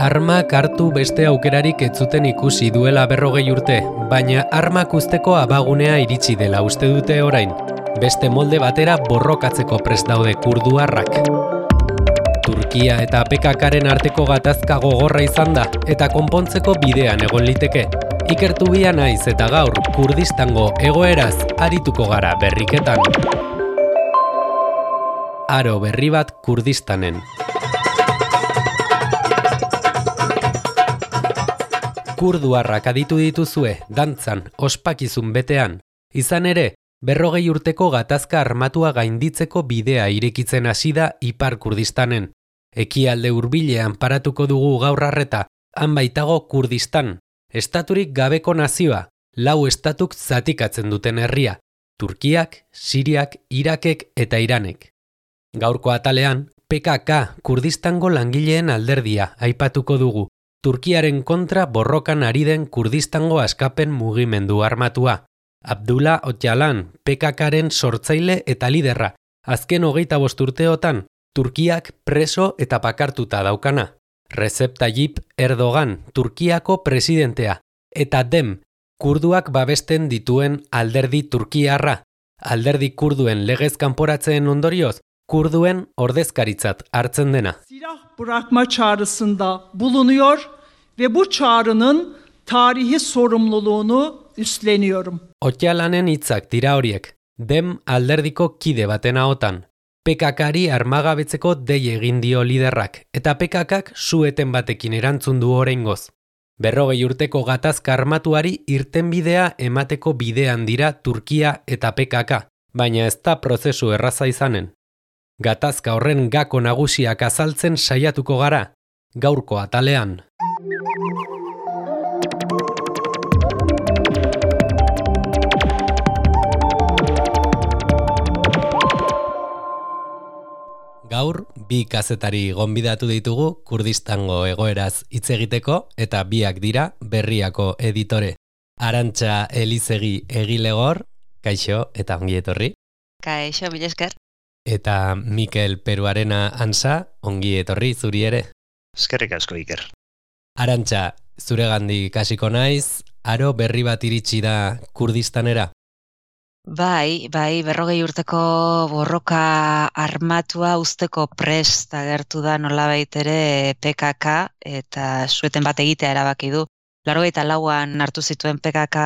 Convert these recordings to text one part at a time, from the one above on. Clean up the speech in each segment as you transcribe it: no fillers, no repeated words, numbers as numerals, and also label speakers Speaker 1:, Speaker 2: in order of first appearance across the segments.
Speaker 1: Armak hartu beste aukerarik ez zuten ikusi duela 40 urte, baina armak uzteko abagunea iritsi dela uste dute orain. Beste molde batera borrokatzeko prest daude kurduarrak. Turkia eta PKKren arteko gatazka gogorra izan da, eta konpontzeko bidean egon liteke. Ikertu bia naiz eta gaur Kurdistango egoeraz arituko gara berriketan. Aro berri bat Kurdistanen. Kurduarrak aditu dituzue, dantzan, ospakizun betean. Izan ere, 40 urteko gatazka armatua gainditzeko bidea irekitzen hasi da Ipar Kurdistanen. Ekialde hurbilean paratuko dugu gaur arreta, han baitago Kurdistan. Estaturik gabeko nazioa, 4 estatuk zatikatzen duten herria. Turkiak, Siriak, Irakek eta Iranek. Gaurko atalean, PKK Kurdistango langileen alderdia aipatuko dugu. Turkiaren kontra borrokan ari den Kurdistango askapen mugimendu armatua. Abdullah Öcalan, PKKren sortzaile eta liderra. Azken 25 urteotan, Turkiak preso eta bakartuta daukana. Recep Tayyip Erdogan, Turkiako presidentea. Eta DEM, kurduak babesten dituen alderdi turkiarra. Alderdi kurduen legez kanporatzeen ondorioz, kurduen ordezkaritzat hartzen dena.
Speaker 2: Silah bırakma çağrısında bulunuyor ve bu çağrının tarihi sorumluluğunu üstleniyorum.
Speaker 1: Öcalanen hitzak dira horiek, DEM alderdiko kide baten ahotan. PKKri armagabetzeko dei egin dio liderrak, eta PKKk sueten batekin erantzun du oraingoz. 40 urteko gatazka armatuari irtenbidea emateko bidean dira Turkia eta PKK, baina ez da prozesu erraza izanen. Gatazka horren gako nagusiak azaltzen saiatuko gara, gaurko atalean. Gaur, bi kazetari gonbidatu ditugu Kurdistango egoeraz hitz egiteko eta biak dira Berriako editore. Arantxa Elizegi Egilegor, kaixo eta ongi etorri.
Speaker 3: Kaixo, mila esker.
Speaker 1: Eta Mikel Peruarena Ansa, ongi etorri zuri ere.
Speaker 4: Eskerrik asko, Iker.
Speaker 1: Arantxa, zuregandik hasiko naiz, aro berri bat iritsi da Kurdistanera?
Speaker 3: Bai, 40 urteko borroka armatua uzteko prest agertu da nolabait ere PKK eta sueten bat egitea erabaki du. 84an hartu zituen PKK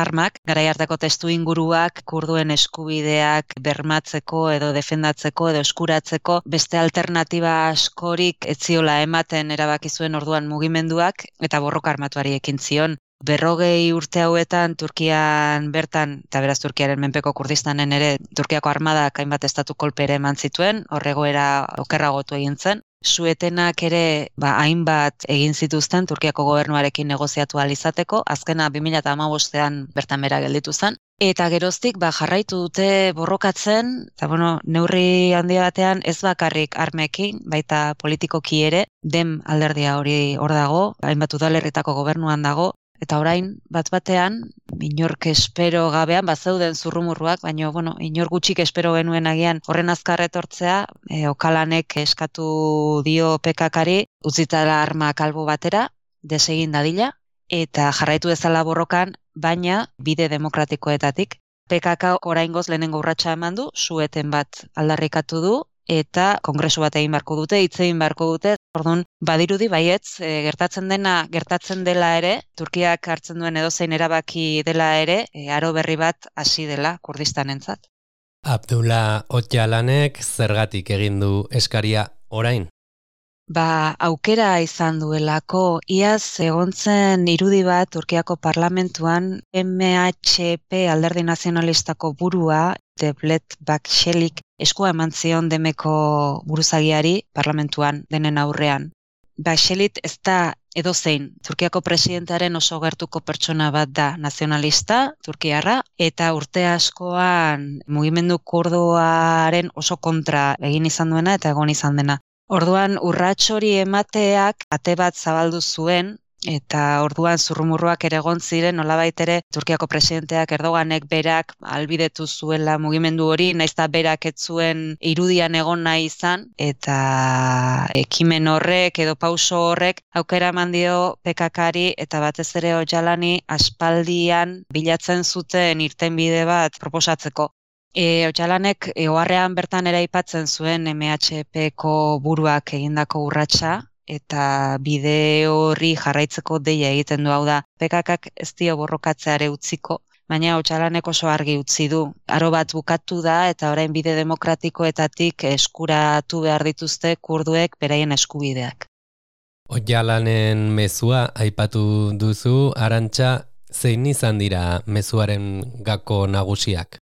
Speaker 3: armak, garai hartako testu inguruak kurduen eskubideak bermatzeko edo defendatzeko edo eskuratzeko beste alternatiba askorik ez ziola ematen erabaki zuen orduan mugimenduak eta borroka armatuari ekin zion. 40 urte hauetan Turkian bertan, eta beraz Turkiaren menpeko Kurdistanen ere, Turkiako armadak hainbat estatu kolpere eman zituen, horregoera okerragotu egin zen. Suetenak ere hainbat egin zituzten Turkiako gobernuarekin negoziatu ahal izateko, azkena 2015ean bertan bera gelditu zen. Eta geroztik jarraitu dute borrokatzen, eta neurri handia batean ez bakarrik armekin, baita politikoki ere, DEM alderdia hori hor dago, hainbat udalerritako gobernuan dago, eta orain bat-batean, inork espero gabean, bazeuden zurrumurruak, baina inor gutxik espero genuen agian horren azkar etortzea, Öcalanek eskatu dio PKKri, utzitara armak albo batera, desegin dadila, eta jarraitu dezala borrokan, baina bide demokratikoetatik. PKK oraingoz lehenengo urratsa eman du, sueten bat aldarrikatu du, eta kongresu bat egin beharko dute, hitz egin beharko dute. Orduan, badirudi baietz, gertatzen dela ere, Turkiak hartzen duen edozein erabaki dela ere, aro berri bat hasi dela Kurdistanentzat.
Speaker 1: Abdullah Öcalanek zergatik egin du eskaria orain?
Speaker 3: Aukera izan duelako, iaz egontzen irudi bat Turkiako parlamentuan MHP alderdi nazionalistako burua, Devlet Bahçelik, eskua eman zion Demeko buruzagiari parlamentuan denen aurrean. Bahçelik ez da edozein Turkiako presidentearen oso gertuko pertsona bat da nazionalista, turkiarra, eta urte askoan mugimendu kurduaren oso kontra egin izan duena eta egon izan dena. Orduan, urrats hori emateak ate bat zabaldu zuen Eta orduan zurrumurruak ere egon ziren, nolabait ere Turkiako presidenteak Erdoganek berak ahalbidetu zuela mugimendu hori, naiz eta berak ez zuen irudian egon nahi izan, eta ekimen horrek edo pauso horrek aukera eman dio PKKari eta batez ere Öcalani aspaldian bilatzen zuten irtenbide bat proposatzeko. Öcalanek oharrean bertan ere aipatzen zuen MHP-ko buruak egindako urratsa, eta bide horri jarraitzeko deia egiten du, hau da, PKKak ez dio borrokatzeare utziko, baina Öcalanek oso argi utzi du. Aro bat bukatu da eta orain bide demokratikoetatik eskuratu behar dituzte kurduek beraien eskubideak.
Speaker 1: Öcalanen mezua aipatu duzu, Arantxa, zein izan dira mezuaren gako nagusiak?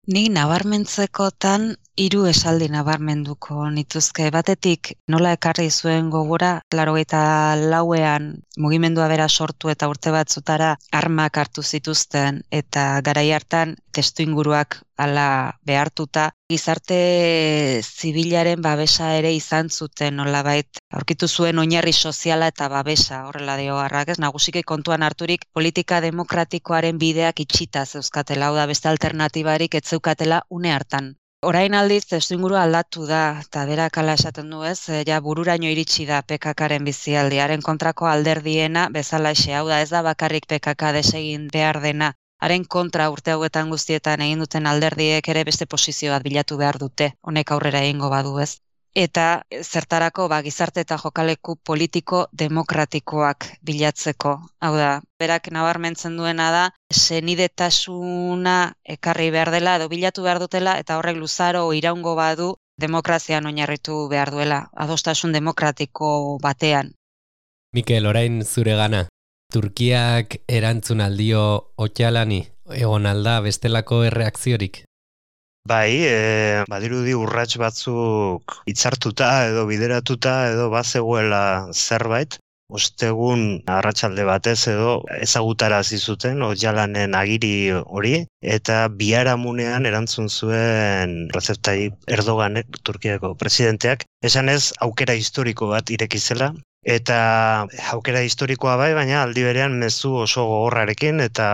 Speaker 3: Ni nabarmentzekotan 3 esaldi nabarmenduko nituzke. Batetik nola ekarri zuen gogora, 84ean mugimendua bera sortu eta urte batzutara armak hartu zituzten eta garai hartan testuinguruak hala behartuta gizarte zibilaren babesa ere izan zuten, nolabait aurkitu zuen oinarri soziala eta babesa, horrela dio Arrak, ez nagusiki kontuan harturik politika demokratikoaren bideak itxita zeuzkatela, hau da beste alternatibarik ez zeukatela une hartan. Orain aldiz, testuingurua aldatu da, eta berak hala esaten du ez, ja bururaino iritsi da PKKaren bizialdiaren kontrako alderdiena bezalaxe, hau da ez da bakarrik PKK desegin behar dena, haren kontra urte hauetan guztietan egin duten alderdiek ere beste posizio bat bilatu behar dute, honek aurrera egingo badu ez. Eta zertarako gizarte eta jokaleku politiko demokratikoak bilatzeko. Hau da, berak nabarmentzen duena da, senidetasuna ekarri behar dela edo bilatu behar dutela eta horrek luzaro iraungo badu demokrazian oinarritu behar duela, adostasun demokratiko batean.
Speaker 1: Mikel, orain zure gana. Turkiak erantzun aldio Öcalani, egon alda bestelako erreakziorik?
Speaker 4: Bai, badirudi urrats batzuk hitzartuta edo bideratuta edo bazegoela zerbait. Ostegun arratsalde batez edo ezagutarazi zuten Öcalanen agiri hori eta biharamunean erantzun zuen Recep Tayyip Erdoganek, Turkiako presidenteak, esanez aukera historiko bat ireki zela. Eta aukera historikoa bai, baina aldi berean mezu oso gogorrarekin eta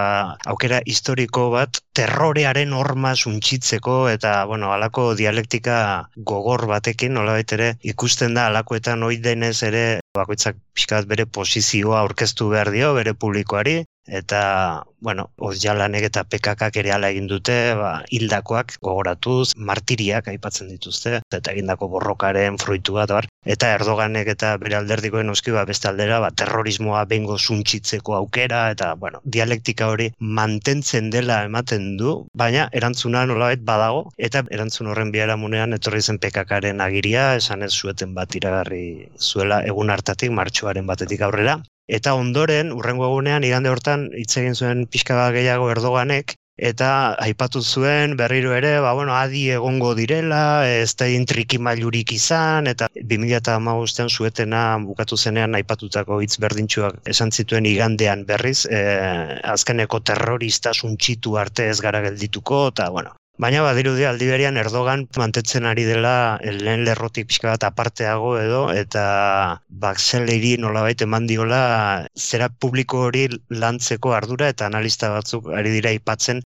Speaker 4: aukera historiko bat terrorearen horma suntsitzeko eta, halako dialektika gogor batekin, nolabait ere ikusten da halakoetan ohi denez ere bakoitzak pixka bat bere posizioa aurkeztu behar dio, bere publikoari, eta, Öcalanek eta PKKak ere hala egin dute, hildakoak gogoratuz, martiriak aipatzen dituzte, eta egindako borrokaren fruitua da bar. Eta Erdoganek eta bere alderdikoen noski beste aldera, terrorismoa behingo suntsitzeko aukera, eta, dialektika hori mantentzen dela ematen du, baina erantzuna nolabait badago, eta erantzun horren biharamunean etorri zen PKKaren agiria, esan ez zueten bat iragarri zuela egun hartatik, martxoaren batetik aurrera. Eta ondoren, hurrengo egunean, igande hortan, hitz egin zuen pixka bat gehiago Erdoganek, eta aipatu zuen berriro ere, adi egongo direla, ez da trikimailurik izan, eta 2015ean zuetena bukatu zenean aipatutako hitz berdintsuak esan zituen igandean berriz, azkeneko terrorista suntsitu arte ez gara geldituko, eta Baina badirudi aldi berean Erdogan mantentzen ari dela lehen lerrotik pixka bat aparteago edo, eta Bakseleri nolabait eman diola zera publiko hori lantzeko ardura eta analista batzuk ari dira aipatzen,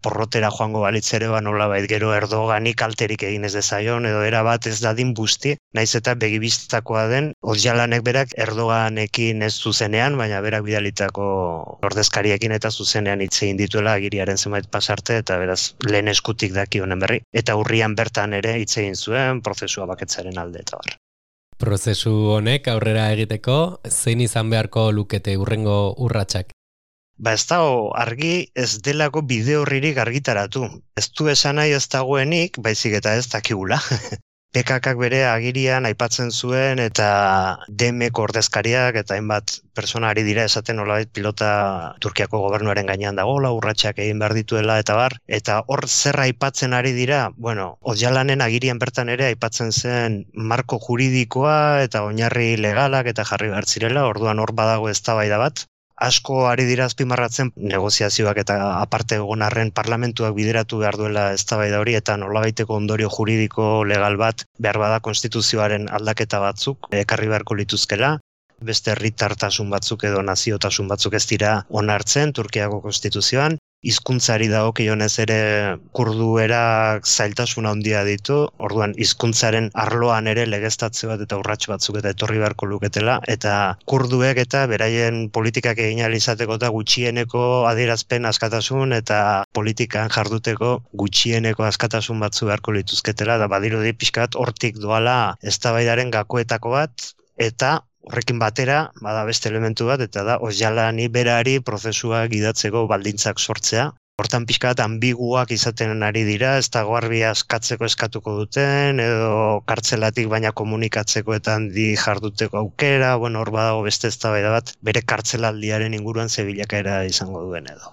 Speaker 4: porrotera joango balitz ere nolabait gero Erdogani kalterik egin ez dezaion edo erabat ez dadin busti, naiz eta begibistakoa den Öcalanek berak Erdoganekin ez zuzenean, baina berak bidalitako ordezkariekin eta zuzenean hitz egin dituela agiriaren zenbait pasarte eta beraz lehen eskutik daki honen berri, eta urrian bertan ere hitz egin zuen prozesua baketzaren alde eta bar.
Speaker 1: Prozesu honek aurrera egiteko, zein izan beharko lukete hurrengo urratsak?
Speaker 4: Ez dago argi ez delako bide horririk argitaratu. Ez du esan nahi ez dagoenik, baizik eta ez dakigula. PKKak bere agirian aipatzen zuen eta DMko ordezkariak eta hainbat persona ari dira esaten nolabait pilota Turkiako gobernuaren gainean dagoela, urratsak egin behar dituela eta bar, eta hor zer aipatzen ari dira, Öcalanen agirian bertan ere aipatzen zen marko juridikoa eta oinarri legalak eta jarri behar zirela, orduan hor badago eztabaida bat. Asko ari dira azpimarratzen negoziazioak eta aparte egon arren parlamentuak bideratu behar duela eztabaida hori eta nolabaiteko ondorio juridiko legal bat behar bada konstituzioaren aldaketa batzuk ekarri beharko lituzkela. beste herritartasun batzuk edo naziotasun batzuk ez dira onartzen Turkiako konstituzioan. Hizkuntzari dagokionez ere kurduerak zailtasun handia ditu, orduan hizkuntzaren arloan ere legeztatze bat eta urrats batzuk eta etorri beharko luketela, eta kurduek eta beraien politikak egin ahal izateko eta gutxieneko adierazpen askatasun eta politikan jarduteko gutxieneko askatasun batzu beharko lituzketela, eta badirudi pixka bat hortik doala eztabaidaren gakoetako bat, eta horrekin batera, bada beste elementu bat, eta da, Ozalani berari prozesua gidatzeko baldintzak sortzea. Hortan pixka bat ambiguak izaten ari dira, ez dago argi askatzeko eskatuko duten, edo kartzelatik baina komunikatzeko eta handi jarduteko aukera, hor badago beste eztabaida bat, bere kartzelaldiaren inguruan ze bilakaera izango duen edo.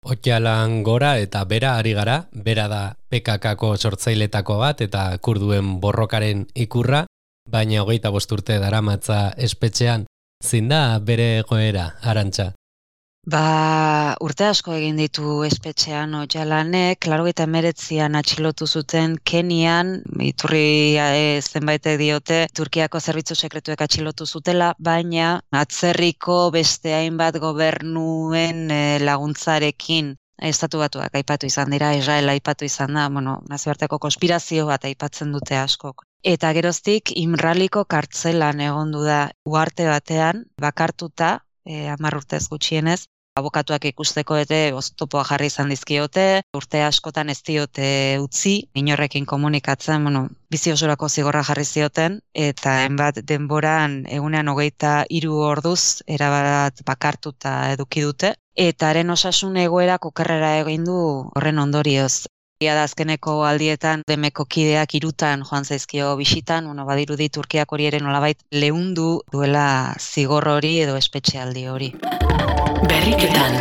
Speaker 1: Otsalan gora eta bera ari gara, bera da PKKko sortzailetako bat eta kurduen borrokaren ikurra, baina 25 urte daramatza espetxean, zein da bere egoera, Arantxa?
Speaker 3: Urte asko egin ditu espetxean Otsalanek, 89an atxilotu zuten Kenian, iturri zenbaitek diote, Turkiako zerbitzu sekretuek atxilotu zutela, baina atzerriko beste hainbat gobernuen laguntzarekin Estatu Batuak aipatu izan dira, Israel aipatu izan da, nazioarteko konspirazio bat aipatzen dute askok. Eta geroztik Imraliko kartzelan egondu da uharte batean, bakartuta, 10 urtez gutxienez, abokatuak ikusteko ere oztopoa jarri izan dizkiote, urte askotan ez diote utzi, inorrekin komunikatzen, bizi osorako zigorra jarri zioten, eta hainbat denboran egunean 23 orduz erabat bakartuta eduki dute, eta haren osasun egoerak okerrera egin du horren ondorioz. Da azkeneko aldietan demeko kideak 3 joan zaizkio bisitan, badirudi Turkiak hori ere nolabait leundu duela zigor hori edo espetxealdi hori.
Speaker 1: Berriketan.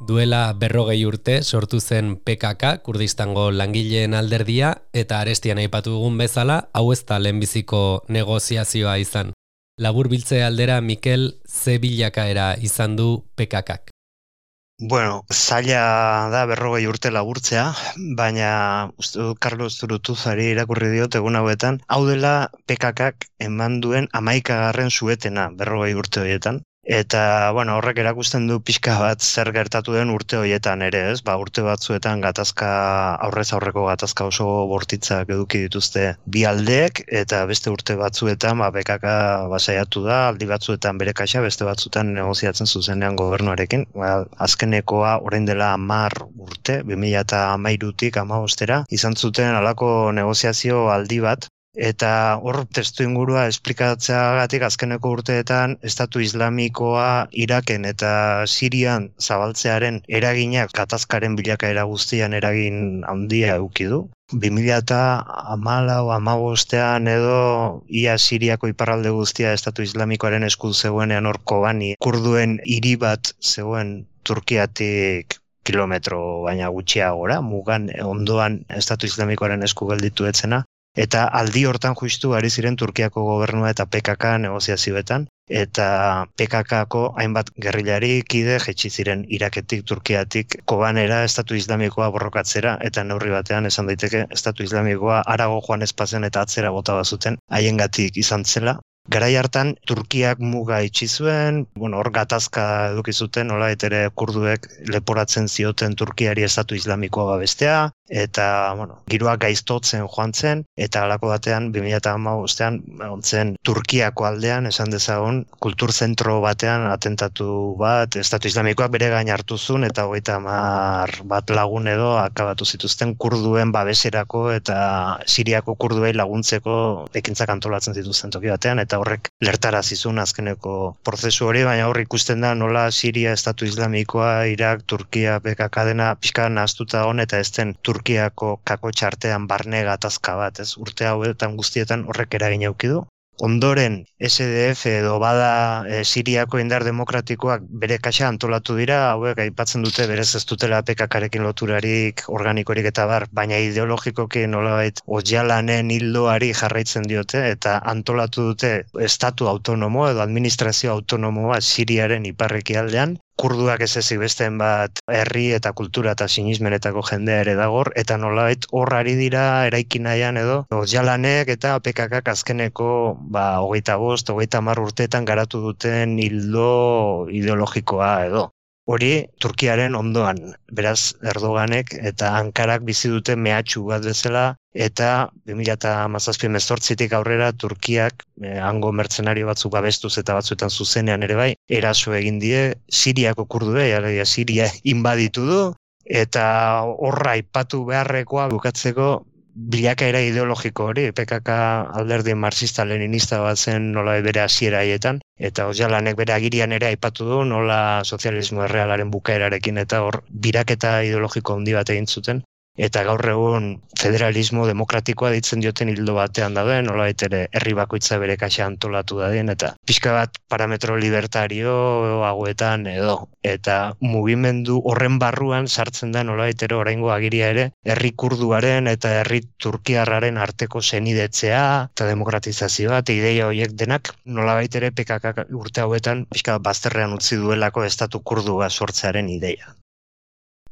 Speaker 1: Duela 40 urte sortu zen PKK, Kurdistango langileen alderdia, eta arestian aipatu dugun bezala, hau ez da lehenbiziko negoziazioa izan. Laburbiltze aldera Mikel ze bilakaera izan du PKKak.
Speaker 4: Zaila da 40 urte laburtzea, baina Carlos Zurutuzari irakurri diot egun hauetan, hau dela PKKak eman duen 11. suetena 40 urte horietan. Eta, horrek erakusten du pixka bat zer gertatu den urte horietan ere, ez? Urte batzuetan aurrez aurreko gatazka oso bortitzak eduki dituzte bi aldeek, eta beste urte batzuetan PKK saiatu da, aldi batzuetan bere kaxa, beste batzuetan negoziatzen zuzenean gobernuarekin. Azkenekoa orain dela 10 urte, 2013tik 2015 izan zuten halako negoziazio aldi bat. Eta hor testu ingurua esplikatzeagatik azkeneko urteetan Estatu Islamikoa Iraken eta Sirian zabaltzearen eraginak gatazkaren bilakaera guztian eragin handia eduki du. 2014-15 edo ia Siriako iparralde guztia Estatu Islamikoaren esku zegoenean hor Kobani kurduen hiri bat zegoen Turkiatik kilometro baina gutxiagora, mugan ondoan Estatu Islamikoaren esku gelditu etzena. Eta aldi hortan justu ari ziren Turkiako gobernua eta PKK negoziazioetan, eta PKKko hainbat gerrilari kide jaitsi ziren Iraketik, Turkiatik, Kobanera Estatu Islamikoa borrokatzera, eta neurri batean esan daiteke Estatu Islamikoa harago joan ezpazen eta atzera bota bazuten haiengatik izan zela. Garai hartan Turkiak muga itxi zuen, hor gatazka eduki zuten, nolabait ere kurduek leporatzen zioten Turkiari Estatu Islamikoa babestea, eta giroa gaiztotzen joan zen, eta halako batean 2015ean ontzen Turkiako aldean esan dezagun kulturzentro batean atentatu bat Estatu Islamikoak bere gain hartu zuen, eta 30 bat lagun edo akabatu zituzten kurduen babeserako eta Siriako kurduei laguntzeko ekintzak antolatzen zituzten toki batean, eta horrek lertarazi zuen azkeneko prozesu hori, baina hor ikusten da nola Siria, Estatu Islamikoa, Irak, Turkia, PKK dena pixka nahaztuta hon eta ez den Turkiako kakotxartean barne gatazka bat, ez? Urte hauetan guztietan horrek eragin eduki du. Ondoren SDF edo bada Siriako indar demokratikoak bere kaxa antolatu dira, hauek aipatzen dute berez ez dutela PKKarekin loturarik, organikorik eta baina ideologikoki nolabait Ojalanen hildoari jarraitzen diote eta antolatu dute estatu autonomo edo administrazio autonomoa Siriaren iparrekialdean, kurduak ez ezik besteen bat herri eta kultura eta sinismenetako jendea ere dagor, eta nolabait hor ari dira eraiki nahian edo Ojalanek eta PKKak azkeneko 25-30 urteetan garatu duten ildo ideologikoa edo. Hori Turkiaren ondoan, beraz Erdoganek eta Ankarak bizi dute mehatxu bat bezala, eta 2017-18tik aurrera Turkiak hango mertzenario batzuk babestuz eta batzuetan zuzenean ere bai, eraso egin die Siriako kurduei, alegia Siria inbaditu du, eta horra aipatu beharrekoa bukatzeko bilakaera ideologiko hori, PKK alderdi marxista-leninista bat zen nola bere hasiera haietan, eta Ojalanek bere agirian ere aipatu du nola sozialismo errealaren bukaerarekin eta hor biraketa ideologiko handi bat egin zuten, eta gaur egun federalismo demokratikoa ditzen dioten hildo batean daude, nolabait ere herri bakoitza bere kaxa antolatu dadien, eta pixka bat parametro libertario hauetan edo. Eta mugimendu horren barruan sartzen da nolabait ere oraingo agiria ere, herri kurduaren eta herri turkiarraren arteko senidetzea eta demokratizazioa eta ideia horiek denak nolabait ere PKK urte hauetan pixka bat bazterrean utzi duelako estatu kurdua sortzearen ideia.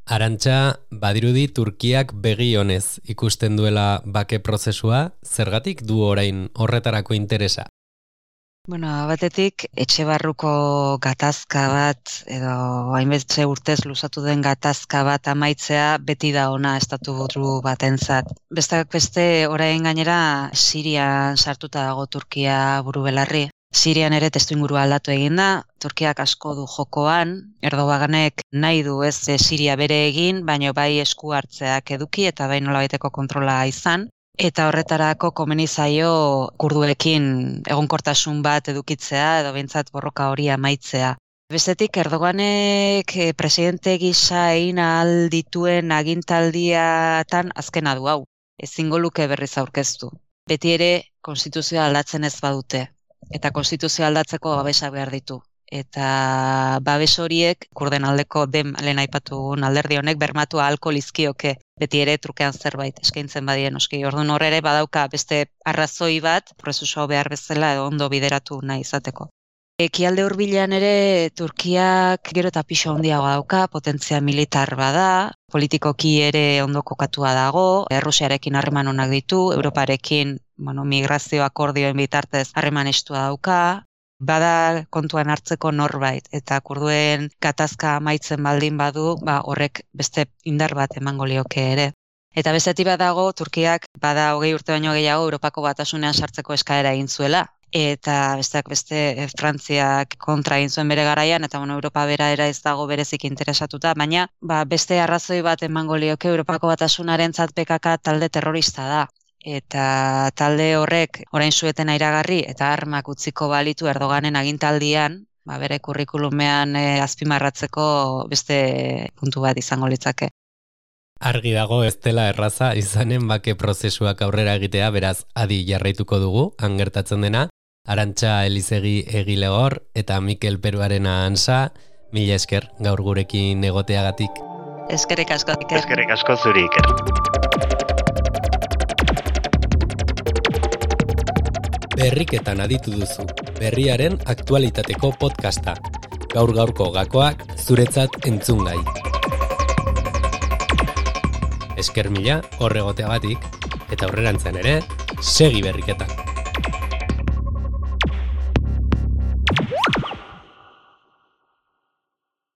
Speaker 1: Arantxa, badirudi Turkiak begi honez ikusten duela bake prozesua, zergatik du orain horretarako interesa?
Speaker 3: Bueno, batetik, etxe barruko gatazka bat, edo hainbeste urtez luzatu den gatazka bat amaitzea beti da ona estatu buru batentzat. Besteak beste, orain gainera Sirian sartuta dago Turkia buru belarri. Sirian ere testuingurua aldatu egin da, Turkiak asko du jokoan, Erdoganek nahi du ez Siria bere egin, baina bai esku hartzeak eduki eta bai nolabaiteko kontrola izan. Eta horretarako komeni zaio kurduekin egonkortasun bat edukitzea edo behintzat borroka hori amaitzea. Bestetik Erdoganek presidente gisa egin ahal dituen agintaldiatan azkena du hau. Ezingo luke berriz aurkeztu. Beti ere konstituzioa aldatzen ez badute. Eta konstituzioa aldatzeko babesak behar ditu. Eta babes horiek kurden aldeko lehen aipatu alderdi honek bermatu ahalko lizkioke. Beti ere trukean zerbait eskaintzen badien noski. Orduan hor ere badauka beste arrazoi bat prozesua behar bezala edo ondo bideratu nahi izateko. Ekialde hurbilean ere Turkiak gero eta pisu handiagoa dauka, potentzia militar bada, politikoki ere ondo kokatua dago, Errusiarekin harreman onak ditu, Europarekin migrazio akordioen bitartez harreman estua dauka, bada kontuan hartzeko norbait, eta kurduen gatazka amaitzen baldin badu, horrek beste indar bat emango lioke ere. Eta bestetik badago, Turkiak bada 20 urte baino gehiago Europako Batasunean sartzeko eskaera egin zuela. Eta besteak beste Frantziak kontra egin zuen bere garaian, eta Europa bera ez dago berezik interesatuta, baina beste arrazoi bat emango lioke Europako Batasunarentzat PKK talde terrorista da. Eta talde horrek orain suetena iragarri eta armak utziko balitu Erdoganen agintaldian, bere kurrikulumean azpimarratzeko beste puntu bat izango litzake.
Speaker 1: Argi dago ez dela erraza izanen bake prozesuak aurrera egitea, beraz adi jarraituko dugu, han gertatzen dena. Arantxa Elizegi Egilegor eta Mikel Peruarena Ansa, mila esker gaur gurekin egoteagatik.
Speaker 3: Eskerrik asko, Iker.
Speaker 4: Eskerrik asko zuri, Iker.
Speaker 1: Berriketan aditu duzu, berriaren aktualitateko podcasta. Gaur-gaurko gakoak zuretzat entzungai. Esker mila horregoteagatik, eta aurrerantzean ere, segi berriketan.